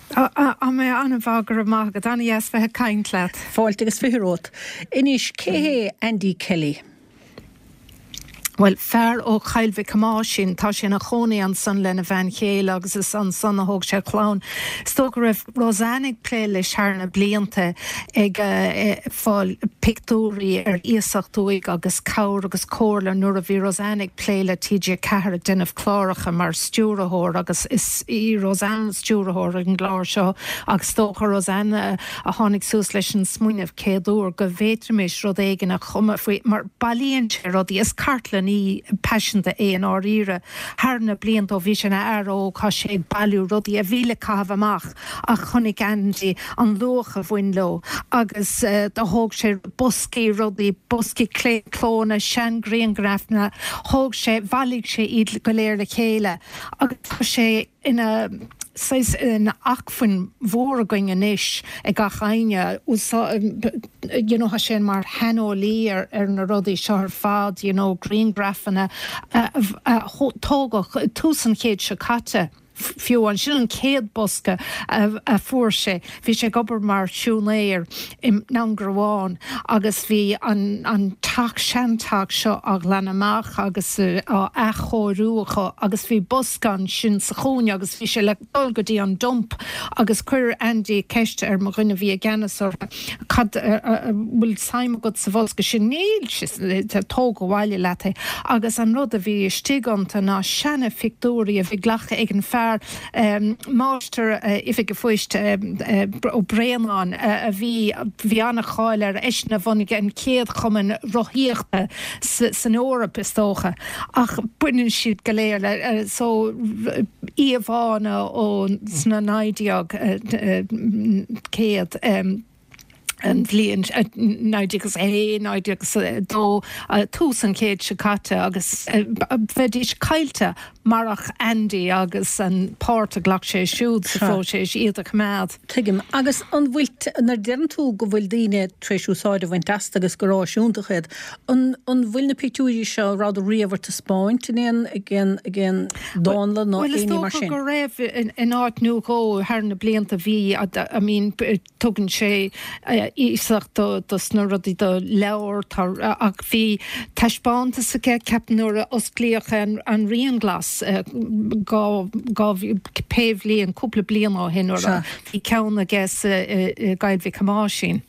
Tá mé an-mhaith, go raibh maith agat. An-dheas bheith ag caint leat. Fáilte agus 20 romhat. Anois, cé hé Andy Kelly? Bhuel, fear ó Choill Mhic Thomáisín, tá sé ina chónaí ansan lena bhean chéile agus is ansan a thóg sé a chlann. Is dócha go raibh Roseanne ag plé leis thar na blianta, ag fáil pictiúirí ar iasacht uaidh agus cabhair agus comhairle nuair a bhí Roseanne ag plé le TG4 ag déanamh cláracha mar stiúrthóir agus is í Roseanne stiúrthóir an gclár seo agus is dócha Roseanne a tháinig suas leis an smaoineamh céad uair go bhféadfaimis rud éigin a chumadh faoi mar bailíonn sé rudaí, is cartlannaí paiseanta é i ndáiríre. Thar na blianta ó bhí sé ina fhear óg tá sé ag bailiú rudaí a bhí le caitheamh amach ach chonaic Andy an luach a bhain leo agus do thóg sé boscaí rudaí, boscaí claonchlónna, seanghrianghrafanna, thóg sé, bhailigh sé iad go léir le chéile agus tá sé ina saghas ina acmhainn mhór againn anois ag gach éinne. You know tá sé mar shaineolaí ar ar na rudaí seo ar fad, you know grianghrafanna a a tógadh tús an chéid seo caite. Fiú ansin an chéad bosca a fuair sé, bhí sé ag obair mar siúinéir i nDún Garbhán agus bhí an teach, seanteach seo á ghlanadh amach agus á athchóiriú acu agus bhí bosca ansin sa chúinne agus bhí sé le dul go dtí an dump agus chuir Andy ceist ar mo dhuine a bhí i gceannas orthu, cad, an bhfuil suim agat sa bhosca sin? Níl, tóg abhaile leat é. Agus an rud a bhí istigh iontu ná seana phictiúirí a bhí glactha ag an fear, máistir oifige phoist Ó Braonáin a bhí, bhí an-cháil air, eisean a bhunaigh an chéad chumann rothaíochta san Eoraip is dócha. Ach baineann siad go léir le, so, íomhánna ó sna 1900, an bhliain 1901, 1902, tús an chéid seo caite agus bheidís caillte marach Andy agus an páirt a ghlac sé siúd sa phróiseas iad a choimeád. Tuigim. Agus an bhfuil, nuair a deireann tú go bhfuil daoine tar éis úsáid a bhaint astu agus gur áis iontach iad, An bhfuil na pictiúirí seo, an rabhadar riamh ar taispeáint in aon, ag aon, ag aon dánlann nó Bhuel, is éinní mar dócha sin? go raibh in áit nó dhó thar na blianta. Bhí, I mean, tugann sé iasacht do, dos na rudaí, do leabhair, tá, ach bhí taispeántas aige, ceapaim nuair a osclaíodh an, an Rian Glas, dhá, dhá, pé bhliain, cúpla bliain ó shin, nuair a, bhí ceann aige sa, i gCoill Mhic Thomáisín.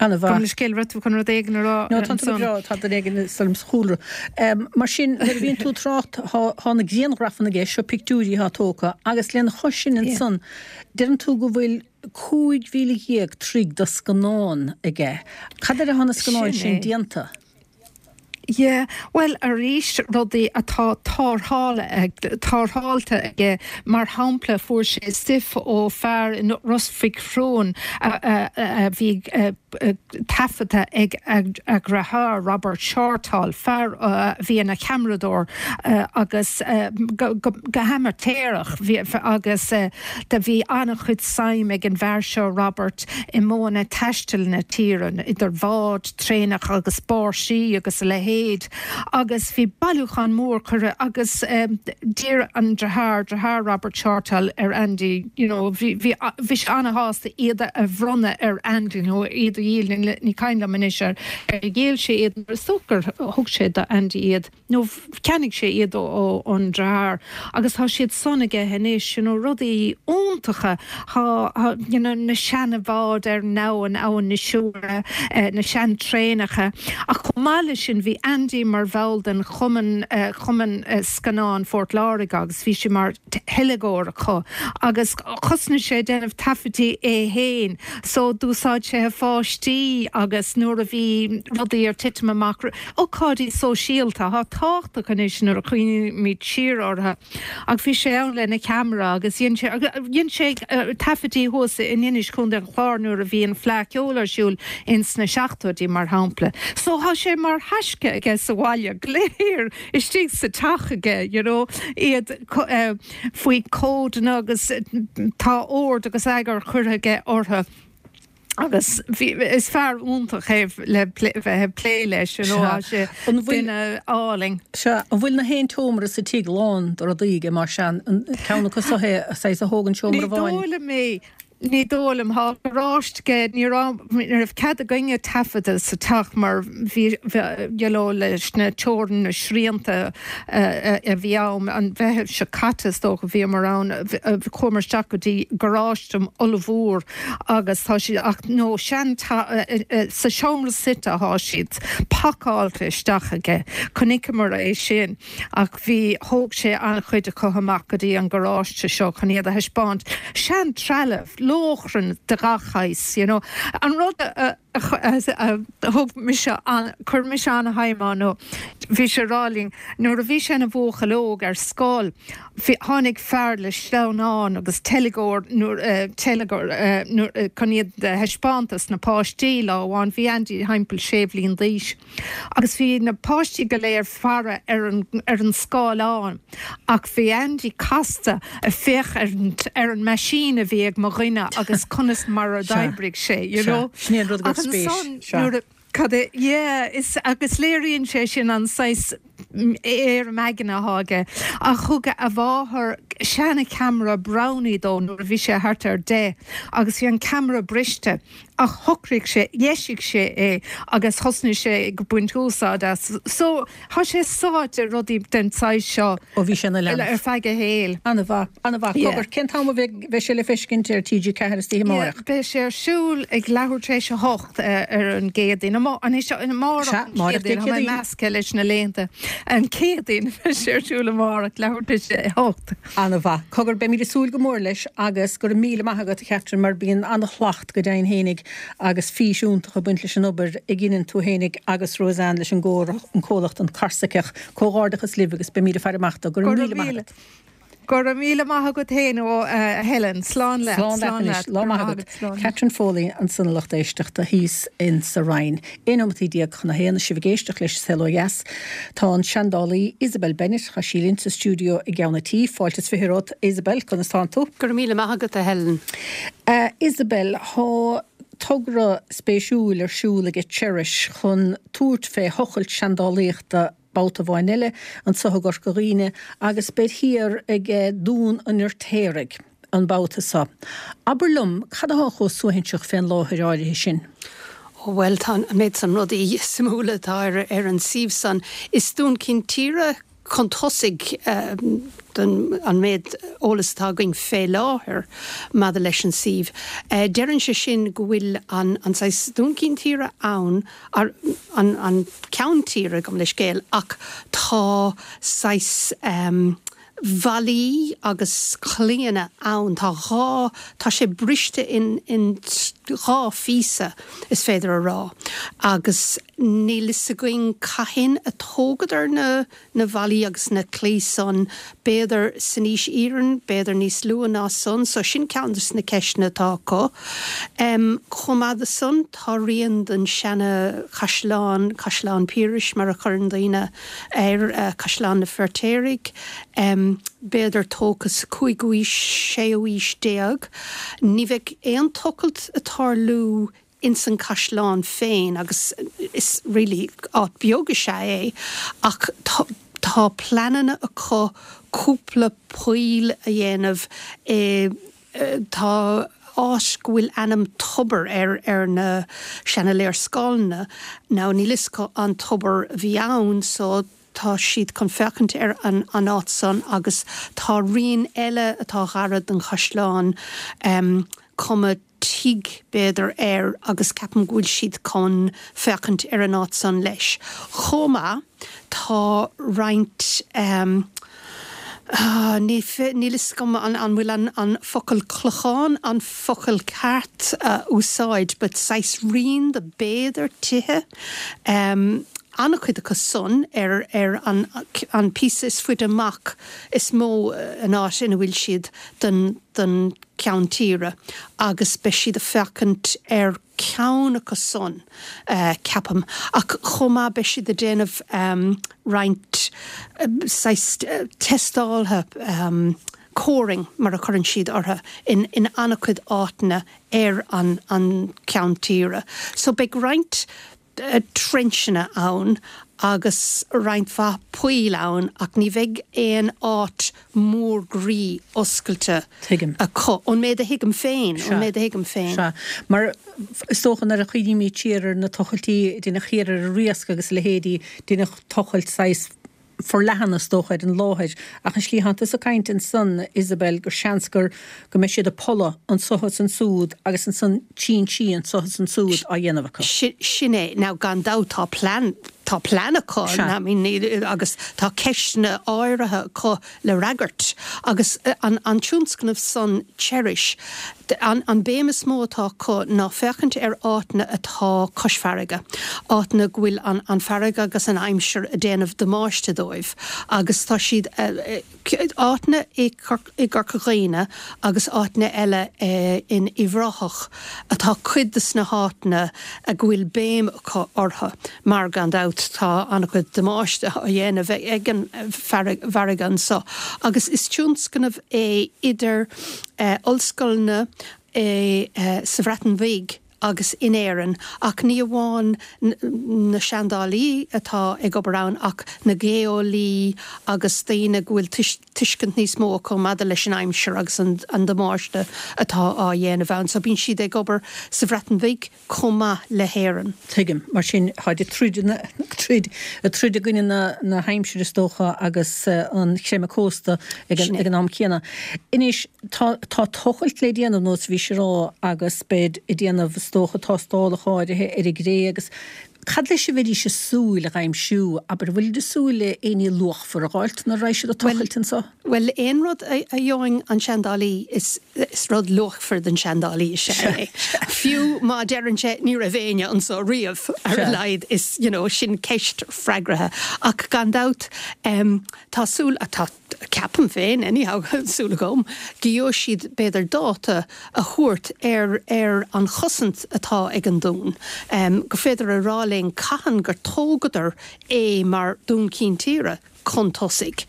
Ana-mhaith. Gabh mo leithscéal, raibh tú chun rud éigin a rá No, tá tú go ansan? breá, tá duine éigin ag stoirm sa chúlra. Mar sin, nuair a bhíonn tú ag trácht, tá na grianghrafanna i gceist, seo pictiúirí atá tógtha, agus lena chois sin ansan, deireann tú go bhfuil 15,000 troigh de scannán aige. Cad air atá na scannáin Sin sin é. déanta? Yeah, bhuel arís rudaí atá tarrtháilte aige, mar shampla fuair sé stuif ó fear i Ros Mhic Thriúin a bhí taifeadta ag a dheartháir Robert Shortall, fear a bhí ina cheamaradóir agus go hamaitéarach agus do bhí an-chuid suim ag an bhfear seo Robert i modhanna taistil na tíre, idir bháid, traenacha agus báirsí agus a leithéid agus bhí bailiúchán mór curtha agus d'iarr an deartháir, deartháir Robert Shortall ar Andy you know bhí, bhí, bhí sé an-shásta iad a bhronnadh ar Andy nó iad a dhíol, ní cuimhin liom anois ar dhíol sé iad, is dócha gur thug sé do Andy iad. nó cheannaigh sé iad ón deartháir agus tá siad san aige anois, you know, rudaí iontacha, tá, you know, na seana-bháid ar an abhainn, Abhainn na Siúire, na sean-traenacha. Ach chomh maith leis sin bhí. Andy mar bhall den chumann, Cumann Scannán Phort Láirge agus bhí sé mar theilgeoir acu agus thosnaigh sé ag déanamh taifeadtaí é fhéin so d'úsáid sé a pháistí agus nuair a bhí rudaí ar titim amach, ócáidí sóisialta atá tábhachtach anois nuair a chuimhnímid siar orthu. Ach bhí sé ann lena cheamara agus dhein sé, dhein sé taifeadtaí thuas in Inis, Contae an Chláir nuair a bhí an Fleadh Cheoil ar siúl ins na seachtóidí mar shampla. So thá sé mar thaisce aige sa bhaile, go léir istigh sa teach aige, you know, iad faoi códanna agus tá ord agus eagar curtha aige orthu. Agus bhí, is fear iontach é le bheith ag plé leis, you know, tá sé duine álainn. Sea, an bhfuil na haon tseomra sa tigh lán de rudaí aige, más ea, an ceann acu so é, saghas a thógann seomra Ní amháin? dóigh liom é, ní dóigh liom. Tá garáiste aige, ní raibh, ní raibh cead againne taifeadadh sa teach mar bhí, you know, leis na teorainn, na srianta a bhí ann, an Mheitheamh seo caite is dócha, bhíomar ann, chuamar isteach go dtí garáiste ollmhór agus tá siad ach nó sean sa seomra suite atá siad pacáilte isteach aige. Chonaiceamar é sin ach bhí, thóg sé an-chuid acu amach go dtí an garáiste seo chun iad a thaispeáint. Sean trealamh, lóchrann de gach shaghas, you know. An rud a thug mise an, chuir mise an-shuim ann nó bhí sé ag rá linn nuair a bhí sé ina bhuachaill óg ar scoil, Bhí, tháinig fear le sleamhnán agus teilgeoir nuair, teilgeoir nuair, chun iad a thaispeáint dos na páistí lá amháin. Bhí Andy thimpeall sé bhliain d'aois agus bhí na páistí go léir faire ar an, ar an scáileán ach bhí Andy casta ag féach ar an, ar an meaisín a bhí ag mo dhuine agus conas mar a d'oibrigh sé, you know. Sea, sin é an rud go Ach raibh spéis, ansan sea. nuair a, Cad é, yeah, is, agus léiríonn sé sin an saghas éirim aigne atá aige. Ach thug a mháthair seana-cheamara Brownie dó nuair a bhí sé thart ar 10 agus bhí an ceamara briste ach shocraigh sé, dheisigh sé é agus thosnaigh sé ag baint úsáid as. So, tá sé sáite i rudaí den tsaghas seo Ó bhí sé ina leanbh. ar feadh a shaoil. An-mhaith, an-mhaith. Yeah. Cogar, cén t-am a bheidh, bheidh sé le feiscint ar TG4 istoíche Yeah, amárach? beidh sé ar siúl ag leathuair tar éis a hocht ar an gCéadaoin. Anois, amárach Sea, an amárach Dé Chéadaoin, tá mé Céadaoin. measctha leis na laethanta. An Chéadaoin, beidh sé ar siúl amárach, leathuair tar éis a hocht. An-mhaith. Cogar, beimid ag súil go mór leis agus go raibh míle maith agat, a Chatherine, mar bíonn an-shlacht go deimhin fhéinig agus fís iontach ag baint leis an obair a dheineann tú fhéinig agus Roseanne leis an gcomhlacht An Corsaiceach. Comhghairdeachas libh agus beimid ag faire amach dó. Go raibh míle maith agat. Go raibh míle maith agat fhéin a Helen. Slán leat. Slán leat anois. Lá maith agat. Catherine Foley ansan a lucht éisteachta thíos in sa Rinn. 11 nóimeataí chun a haon is sibh ag éisteacht leis An Saol Ó Dheas. Tá an seandálaí Isabel Bennett, tá sí linn sa stiúideo i gceann an tí. Fáilte is fiche romhat Isabel, conas tánn tú? Go raibh míle maith agat a Helen. A Isabel, thá togra spéisiúil ar siúl ag Cherish chun tabhairt fé thochailt seandálaíochta babhta amháin eile anso i gCorca Dhuibhne agus beid thiar ag Dún an Fheirtéaraigh an babhta so. Abair liom, cad athá chomh suaithinseach fén láthair áirithe sin? Ó bhuel, tá an méid san rudaí suimiúla atá ar an suíomh san. Is dún cinn tíre chun tosaigh don an méid eolas atá againn fé láthair maidir leis an suíomh. Deireann sé sin go bhfuil an an saghas dún cinn tíre ann an ceann tíre, gabh mo leithscéal, ach tá saghas bhallaí agus claíonna ann. Tá dhá, tá sé briste in, in dhá phíosa, is féidir a rá, agus níl fhios againn cathain a tógadar na, na ballaí agus na claí san, b'fhéidir san aois iarainn, b'fhéidir níos luath ná san, so sin ceann des na ceisteanna atá acu. Chomh maith de san, tá rian den seana chaisleán, Caisleán Piarais mar a chuireann daoine air, Caisleán na Feirtéaraigh, b'fhéidir tógtha sa cúigiú aois, séú aois déag. Ní bheidh aon tochailt ag tarlú ins an caisleán féin agus is really áit beag is ea é ach tá tá pleananna acu cúpla poill a dhéanamh i tá áit go bhfuil ainm tobar air ar na seana léarscáileanna now níl fhios acu an tobar a bhí ann so tá siad chun féachaint ar an an áit san agus tá rian eile atá ghairid don chaisleán cuma. tigh b'fhéidir air agus ceapaim go bhfuil siad chun féachaint ar an áit san leis. Chomh maith tá roinnt níl fhios agam an bhfuil an focal clochán an focal ceart a úsáid but saghas rian de b'fhéidir tithe an-chuid acu san ar ar an an píosa is faide amach is mó an áit ina bhfuil siad den den ceann tíre agus beidh siad ag féachaint ar ceann acu san, ceapaim. Ach chomh maith beidh siad ag déanamh roinnt saghas testáltha, coring mar a chuireann siad orthu, in an-chuid áiteanna ar an cheann tíre. So beidh roinnt trencheanna ann agus roinnt mhaith poill ann ach ní bheidh aon áit mhór groí oscailte Tuigim. acu, ón méid a thuigim féin, ón méid a thuigim féin. Sea. Mar is dócha nuair a chuimhnímid siar ar na tochailtí a deineadh thiar ar an Riasc agus a leithéidí, deineadh tochailt saghas forleathan is dócha ar an láthair. Ach an slí atánn tusa ag caint ansan, Isabel, gur seans gur, go mbeidh siad ag polladh anso is ansúd agus ansan trinsí anso is ansúd á dhéanamh acu. Sin é. Now gan dabht tá plean, tá plean acu, I mean agus tá ceisteanna áirithe acu le fhreagairt. Agus an tionscnamh san Cherish, an béim is mó atá acu ná féachaint ar áiteanna atá cois farraige, áiteanna go bhfuil an farraige agus an aimsir ag déanamh damáiste dóibh agus tá siad, áiteanna i gCorca Dhuibhne agus áiteanna eile in Uíbh Ráthach atá cuid de sna háiteanna go bhfuil béim acu orthu mar gan dabht tá an-chuid damáiste á dhéanamh ag an bhfarraige anso agus is tionscnamh é idir ollscoileanna sa Bhreatain Bhig agus in Éirinn ach ní amháin na seandálaí atá ag obair ann ach na geolaí agus daoine go bhfuil tuiscint níos mó acu maidir leis an aimsir agus an damáiste atá á dhéanamh ann. So bíonn siad ag obair sa Bhreatain Bhig chomh maith le hÉirinn. Tuigim. Mar sin, táid ag troid, troid, ag troid i gcoinne na haimsire is dócha agus an chreimeadh cósta ag an am céanna. Anois, tá, tá tochailt le déanamh nós a bhís ag rá agus beid ag déanamh is dócha tástálacha áirithe ar an gcré agus cad leis a bheidís ag súil a dh'aimsiú? Abair, an bhfuilid ag súil le éinní luachmhar a dh'fháilt nuair a raghaidh siad ag tochailt anso? Bhuel, aon rud a gheobhann an seandálaí, is rud luachmhar don seandálaí is ea é. Fiú má deireann sé ní raibh éinne anso riamh, ar a laghad is, you know, sin ceist freagraithe. Ach gan dabht, tá súil, tá, ceapaim féin anyhow, súil agam, go gheobhaidh siad b'fhéidir dáta a thabhairt ar ar an chosaint atá ag an dún. Go féidir a rá linn cathain gur tógadar é mar Dún Cinn Tíre chun tosaigh.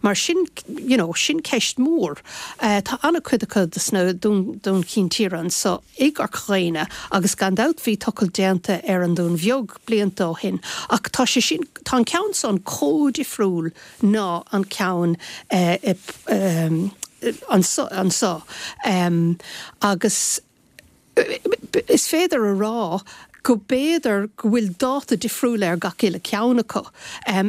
Mar sin, you know, sin ceist mhór. Tá an-chuid acu de sna Dún Cinn Tíre anso i gCorca Dhuibhne agus gan dabht bhí tochailt déanta ar an Dún Bheag blianta ó shin ach tá sé sin, tá an ceann san chomh difriúil ná an ceann anso agus is féidir a rá go b'fhéidir go bhfuil dáta difriúil ar gach uile ceann acu.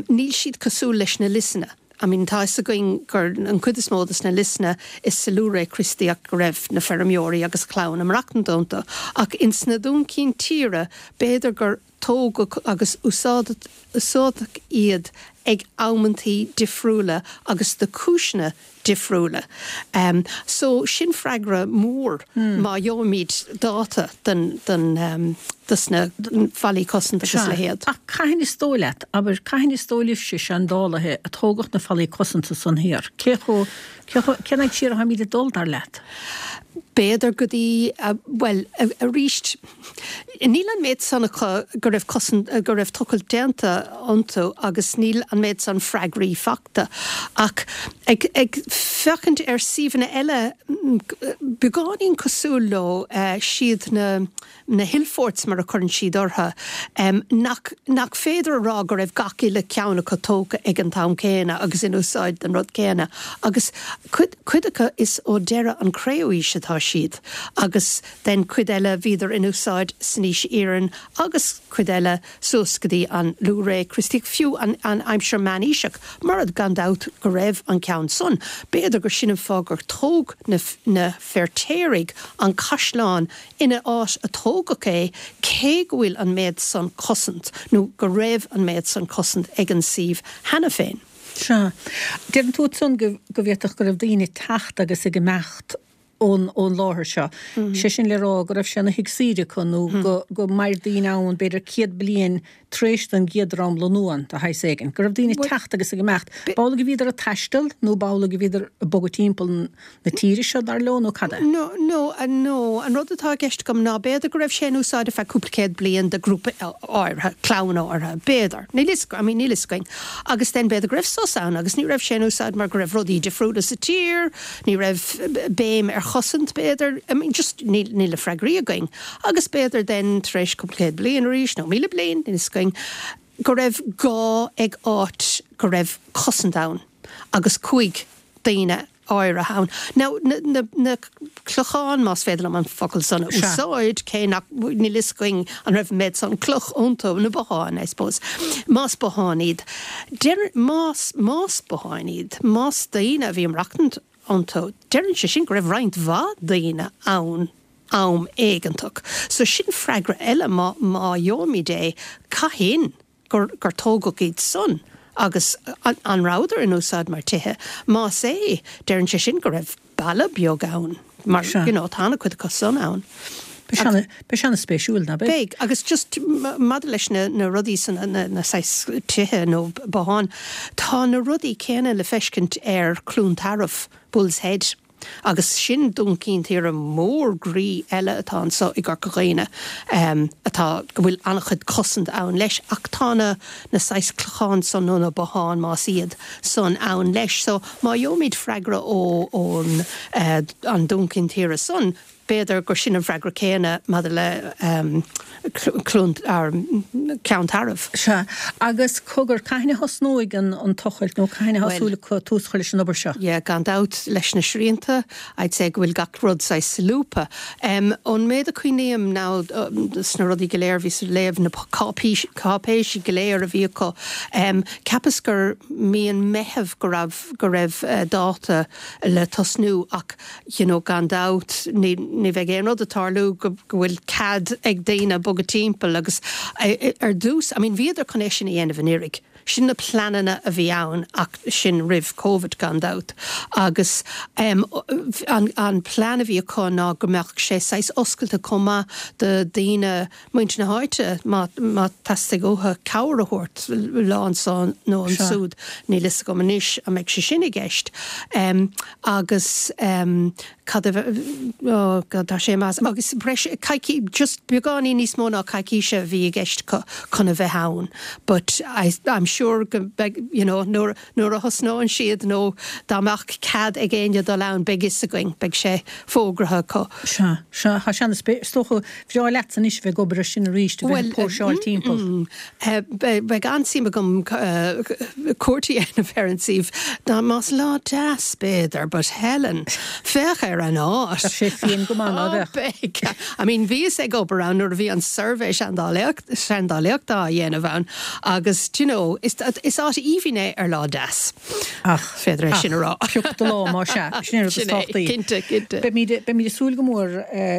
Níl siad cosúil leis na liosanna. I mean tá fhios againn gur an chuid is mó de na liosanna is sa luathré Chríostaíocht go raibh na feirmeoirí agus a chlann ag maireachtaint iontu ach ins na Dún Cinn Tíre b'fhéidir gur tógadh agus úsáideadh iad ag amantaí difriúla agus do chúiseanna difriúla. So, sin freagra mór má gheobhaimid dáta den, den, dos na fallaí cosanta agus a leithéid. Ach cathain is dóigh leat, abair, cathain is dóigh libhse, seandálaithe, a tógadh na fallaí cosanta san thiar? Cé chomh, cé chomh, cén fhaid siar atáimid ag dul, dar leat? B'fhéidir go dtí, bhuel, arís, Níl an méid san acu go raibh cosaint, go raibh tochailt déanta iontu agus níl an méid san freagraí fachta. Ach ag, ag féachaint ar suíomhanna eile beagáinín cosúil leo, siad na, na hillforts mar a chuireann siad orthu, nach, nach féidir a rá go raibh gach uile ceann acu tógtha ag an t-am céanna agus in úsáid don rud céanna. Agus cuid, cuid acu is ó deireadh an Cré-umhaois atá siad. siad agus then cuid eile bhíodar in úsáid san aois iarainn agus cuid eile suas go dtí an luathré Críostaíoch, fiú an aimsir meánaoiseach, mar gan dabht go raibh an ceann san. B'fhéidir gur sin an fáth gur tóg na na Feirtéaraigh an caisleán ina áit a tógadh é cé go bhfuil an méad san cosaint nó go raibh an méad san cosaint ag an suíomh cheana féin. Sea. Deireann tú ansan go bhféadfadh go raibh daoine ag teacht agus ag imeacht ón ón láthair seo. Sé sin le rá go raibh sé ina thigh saoire acu nó go go mair daoine ann b'fhéidir 100 bliain tar éis don gcéad dream lonnú ann, de shaghas éigin. Go raibh daoine ag teacht agus ag imeacht. B'amhlaidh a bhíodar ag taisteal nó b'amhlaidh a bhíodar ag bogadh timpeall na tíre seo, dar leo, nó cad é? No, no, no. An rud atá i gceist agam ná b'fhéidir go raibh sé in úsáid ar feadh cúpla céad bliain do grúpa áirithe, clann áirithe, b'fhéidir. Níl fhios, I mean, níl fhios againn. Agus then b'fhéidir go raibh sos ann agus ní raibh sé in úsáid mar go raibh rudaí difriúla sa tír, ní raibh béim ar chosaint b'fhéidir, I mean, just níl, níl na freagraí againn. Agus b'fhéidir then tar éis cúpla céad bliain arís, nó 1,000 bliain, níl fhios againn, go raibh gá ag áit go raibh cosaint ann agus chuaigh daoine áirithe ann. Now, na, na, na clocháin, más féidir liom an focal san a úsáid, cé nach, níl fhios againn an raibh an méad san cloch iontu, na botháin, I suppose, más botháin iad, deir, más, más botháin iad, más daoine a bhí ag maireachtaint iontu, deireann sé sin go raibh roinnt mhaith daoine ann am éigeantach. So sin freagra eile má, má gheobhaimid é, cathain? gur gur tógadh iad san agus an rabhadar in úsáid mar tithe? Más ea, deireann sé sin go raibh baile beag ann mar you know tá an-chuid acu san ann. Beidh sé an-spéisiúil, ná beidh? Beidh, agus just maidir leis na na rudaí san, na na saghas tithe nó botháin, tá na rudaí céanna le feiscint ar Cluain Tarbh, Bull's Head. Agus sin Dún Cinn Tíre mór groí eile atá anso i gCorca Dhuibhne, atá, go bhfuil an-chuid cosaint ann leis, ach tá na, na saghas clocháin san nó na botháin, más iad san, ann leis. So, má gheobhaimid freagra ó, ón, an Dún Cinn Tíre san, B'fhéidir gur sin an freagra céanna maidir le Cluain, Ceann Tairbh. Sea. Agus cogar, cathain a thosnóidh an tochailt nó cathain atá súil acu tús a chur leis an obair seo? Yeah, gan dabht, leis na srianta, I'd say go bhfuil gach rud saghas solúbtha. Ón méid a cuimhním now sna rudaí go léir a bhíos ag léamh, na cáipéisí go léir a bhí acu, cheapas gur mí an Mheithimh go raibh, go raibh dáta le tosnú ach you know gan dabht ní ní bheidh aon rud ag tarlú go go bhfuil cead ag daoine bogadh timpeall agus ar dtús I mean bhíodar chun é sin a dhéanamh anuraidh. Sin na pleananna a bhí ann ach sin roimh Covid gan dabht agus em an an plean a bhí acu ná go mbeadh sé saghas oscailte chomh maith do daoine muintir na háite má má theastaigh uathu cabhair a thabhairt lá anso nó ansúd, níl fhios agam anois an mbeidh sé sin i gceist. Agus cad a oh God tá sé imithe as agus breis coicí just beagáinín níos mó ná coicíse a bhí i gceist acu chun a bheith ann but I I'm sure go mbeidh you know nuair Nuair a thosnóidh siad nó dá mbeadh cead ag éinne dul ann beidh fhios againn, beidh sé fógraithe acu. Sea, sea, tá sé ana-spé-, is dócha, bhreá leatsa anois a bheith ag obair ar sin arís, a bheith ag póirseáil timpeall. Bhuel, beidh an-suim agam cuairt a dhéanamh ar an suíomh, dá más lá deas b'fhéidir, but Helen, féach ar an áit! Bheadh sé fiain go maith, ná beadh? Beidh! I mean, bhíos ag obair ann nuair a bhí an suirbhé seandálaíochta á dhéanamh ann agus, do you know, is is áit aoibhinn é ar lá deas. Ach, is féidir é sin a rá. Pioc do lá, más ea. Sin é an rud is tábhachtaí. Cinnte, cinnte. Beimid, beimid ag súil go mór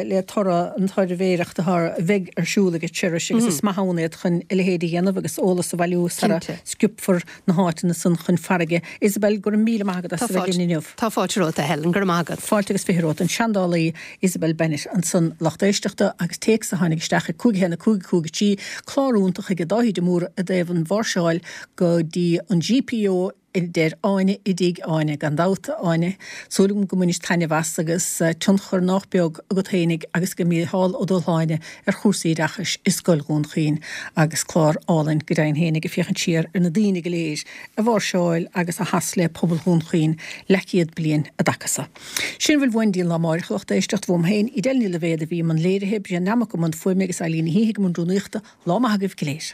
le toradh an tsuirbhéireacht atá, a bheidh ar siúl ag Cherish agus is maith ann iad chun a leithéid a dhéanamh agus eolas a bhailiú sara sciobfar na háiteanna san chun farraige. Isabel, go raibh míle maith agat as a bheith linn inniu. Tá fáilte romhat, a Helen, go raibh maith agat. Fáilte agus 20 romhat. An seandálaí Isabel Bennett ansan, lucht éisteachta agus téacs a tháinig isteach ag 5 1 5 5 3, clár iontach ag Dáithí de Mórdha i dtaobh an mháirseáil go dtí an GPO a deir Áine i dTigh Áine. Gan dabht, a Áine, súil agam go mbainis taitneamh as agus tionchar nách beag agat fhéinig agus ag Mícheál Ó Dubhshláine ar chúrsaí oideachais i Scoil Dhún Chaoin agus clár álainn go deimhin fhéinig ag féachaint siar ar na daoine go léir a mháirseáil agus a sheas le pobal Dhún Chaoin leathchéad bliain i dtaca so. Sin a bhfuil uainn dtí an lá amáireach, a lucht éisteachta, uaim féin, Edel Ní Loibhéad a bhí i mbun léirithe, Brian Nammock i mbun fuaime agus Eileen Ní hÍthigh i mbun rúnaíochta. Lá maith agaibh go léir.